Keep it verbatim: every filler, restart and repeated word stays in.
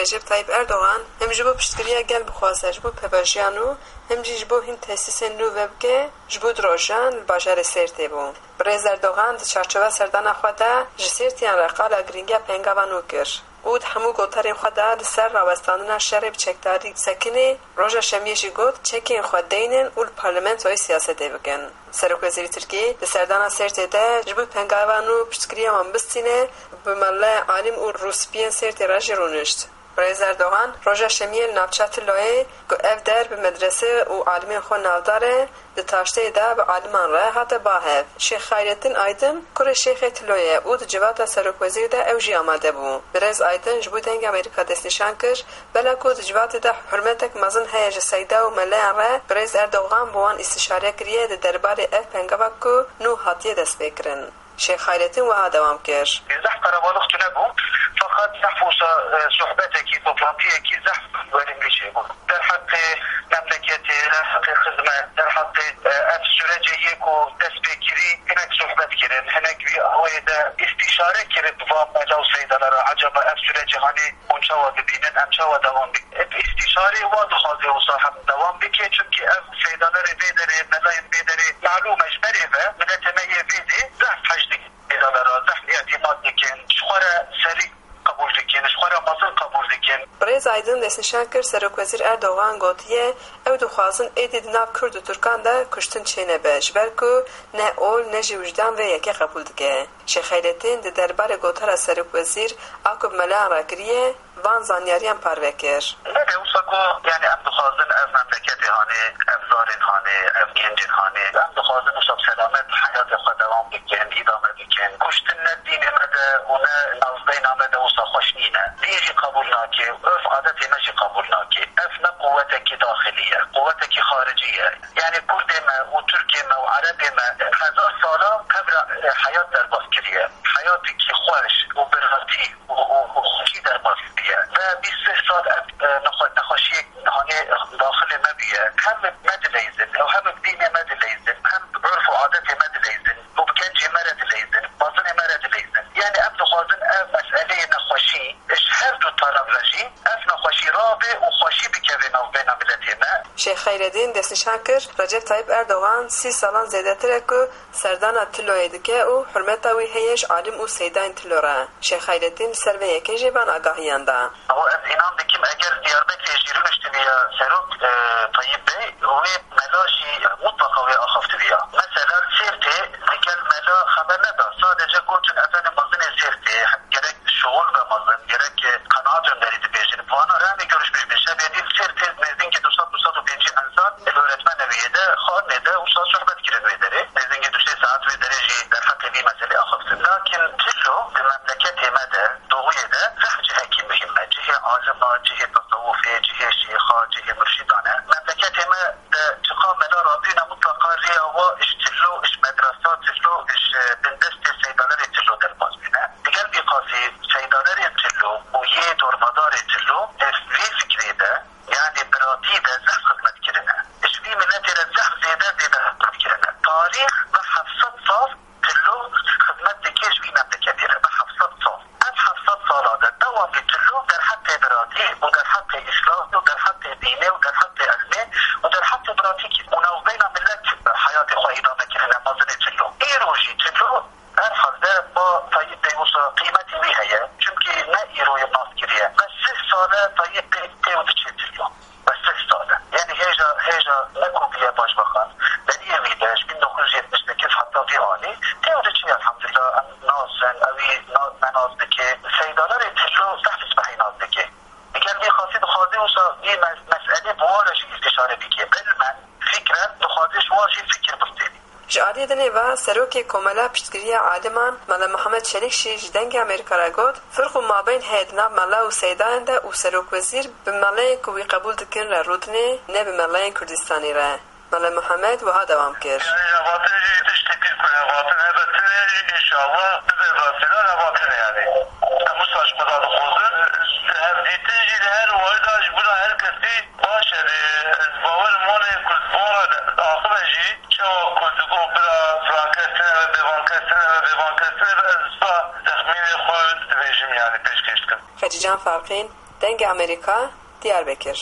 Recep Tayyip Erdogan hem ji bo piştgiriya gel bixwaze ji bo pevajiya nû, hem jî ji bo hin tesîsên nû vebike, ji bo du rojan li bajarê Sêrtê bû. Birêz Erdogan di çarçoveya serdana xwe de ji Sêrtiyan re qala girîngiya pengava nû kir û di hemû gotarên xwe de li ser rawestandina şerê bi çekdarî sekinê, roja Şemiyê jî got, çekên xwe deynin û li parlamentoyê siyasetê bikin. Serokwezîrê Tirkiyê di serdana Sêrtê de ji bo pengava nû piştgiriya wan bistîne, bi mele, alim û rûspiyên Sêrtê re jî rûnişt. Birêz Erdogan roja Şemiyê li navça Tiloyê, ku ev der bi medrese û alimên xwe navdar e, di taşteyê de bi aliman re hate ba hev. Şêx Xayrettin Aydin, kurê Şêxê Tiloyê ye û di civata serokwezîrî de ew jî amade bû. Birêz Aydin ji bo Dengê Amerîka destnîşan kir, bela ku di civatê de hurmetek mezin heye ji seyda û meleyan re, Birêz Erdogan bi wan îstîşare kiriye di derbarê ev pengava ku nû hatiye destpêkirin. Şêx Xayrettin wiha dewam kir. Zehf qerebalix tune bû, feqet zehf wisa, e, sohbetekî, toplantiyekî zehf verimlî çêbû. Derheqê memleketê, derheqê xizmet, derheqê, e, ev sürecê yê ku dest pê kirî hinek sohbet kirin, hinek vî awayê de îstîşare kirin bi van mela û seydana re. Ecaba ev sürecê hanê hûn çawa dibînin, em çawa dewam bikin? Bi îstîşarê wa dixwaze wisa hem dewam bike, çimkî ev seydanerê vê derê, melayên vê derê, malûm e, ji berê ve miletê me yê vê dê zehf hej dikin. Seydaneran zehf îtîmat dikin, ji xwe re serî qebûl dikin, ji xwe re mezin qebûl dikin. Birêz Aydin destnîşan kir, Serokwezîr Erdogan gotiye, ew dixwazin êdî di nav Kurd û Tirkan de kuştin çênebe, ji ber ku ne ol ne jî wijdan vê yekê qebûl dike. Şêx Xeyrettin di derbarê gotara serokwezîr a ku bi meleyan re kiriye, van zanyariyan parve kir. Belê, wisa ku, yani, em dixwazin ev memleketê hanê, ev zarên hanê, ev gencên hanê, em dixwazin wisa bi selamet heyatê xwe dewam bikin, îdame bikin. Kuştin ne dînê me de û ne navbeyna me de wisa xweş nîne. Dîn jî qebûl nake, urf adetê me jî qebûl nake. Ev ne quwetekî daxilî ye, quwetekî xaricî ye. Yani Kurdê me û Tirkê me û Erebê me hezar sala hev re, e, heyat derbas kiriye. Heyatekî xweş û biratî û, û, û xweşî derbas kiriye. Ve bîst sih sal ev, e, nexwe-, nexweşiyek hanê daxilê me bûye. Hem me dileyzin, ew hem bi dînê me dileyzin, hem bi urf û adetê me dileyzin û bi gencê me re dileyzin, mezinê me re dileyzin. Yani em dixwazin ev meseleyê nexweşî ji her du taraf re jî ev nexweşî rabe û xweşî bikeve navbeyna miletê me. Şêx Xeyredîn destnîşan kir, Recep Tayyip Erdogan sî salan zêdetir e ku serdana Tiloyê dike û hurmeta wî heye ji alim û seydayên Tilo re. Şêx Xeyredîn li ser vê yekê jî van agahiyan da. Ew ez înan dikim, eger Diyarbekirê jî rûniştibiya serok, e, Tayyip Bey, wê mela jî mutlaqa wê axaftibiya. Mesela li Sêrtê digel mela xeber neda. Sadece gotin efendim mezinê Sêrtê, gerek şixul be mezin, gerek qenaat önderî dibêjin. Vana re em ê görüşmüş bin. Şevê dî li Sêrtê nêzînkî du sed, du sed û pêncî însan li öğretmeneviyê de, xanê de wisa sohbet kirin wê derê. Nêzînkî du sê saet wê derê jî derheqê vî meselê axaftin. Lakin Tilo di memleketê me de, doğuyê de zehf cihekî muhîm e. Cihê alima, cihê tesewufê, cihê şêxa, cihê murşidan e. Memleketê me de çiqa mela rabîne, mutlaka rêya wa ji Tilo, ji medresa Tilo, ji bindestê seydanerê Tilo derbas bîne. Digel vî qasî seydanerê Tilo û yê dormedarê Tilo ev vê fikrê de, yani biratî de zehf xizmet kirine. Ji vî miletê re zehf zêde, zêde xizmet kirine. Tarîx bi heft sed sal Tilo xizmet dike ji vî memleketê re, bi heft sed sal. Ev heft sed sala de dewamî Tilo derheqê biratî û derheqê îslamê û derheqê dînê û derheqê ilmê û derheqê biratî kir û navbeyna milet heyatê xwe îdame kirine, mezinê Tilo. Îro jî Tilo herhalde ba Tayyip Bey wisa qîmetî wî heye. Çimkî ne îro ye nas kiriye. Me sih sal e Tayyip Bey tê û diçe Tilo. Be sih sal e. Yani hêja, hêja me ku bûye başbakan, beriyê wî de, ji bin dokuz yüz yetmiş sekiz heta vî anî, tê û diçe, elhamdülillah, em nas in, ewî na-, me nas dike. Seydanerê Tilo zehf spehî nas dike. Digel vî qasî dixwaze wisa vî mes-, meselê bi wan re jî îstîşare bike. Bilmen, fikren, dixwaze ji wan jî fikir bistênî. Ji aliyê dinê ve Serokê Komela Piştgiriya Aliman Mele Mihemed Çelîk jî ji Dengê Amerîka re got, firq û mabên heye di nav mela û seydayan de û serokwezîr bi meleyên ku wî qebûl dikin re rûdinê, ne bi meleyên Kurdistanî re. Mele Mihemed wiha dewam kir. Yani hevatin jî tiştê pîl ku hevatin hebe tune jî înşallah bibe rastidan hevatin e yani. Em wisa ji xwe re dixwazin, hevdîtin jî li her warî de ji bona her kesî baş e. Lê ez bawerim wan ê ku ji bo re axive jî çawa ku digot bira filankes tune be, bêvankes tune be, bêvankes tune be, ez wisa texmînê xwe dibêjim yani pêşkêş dikim. Xecîcan Farqîn, Dengê Amerîka, Diyarbekir.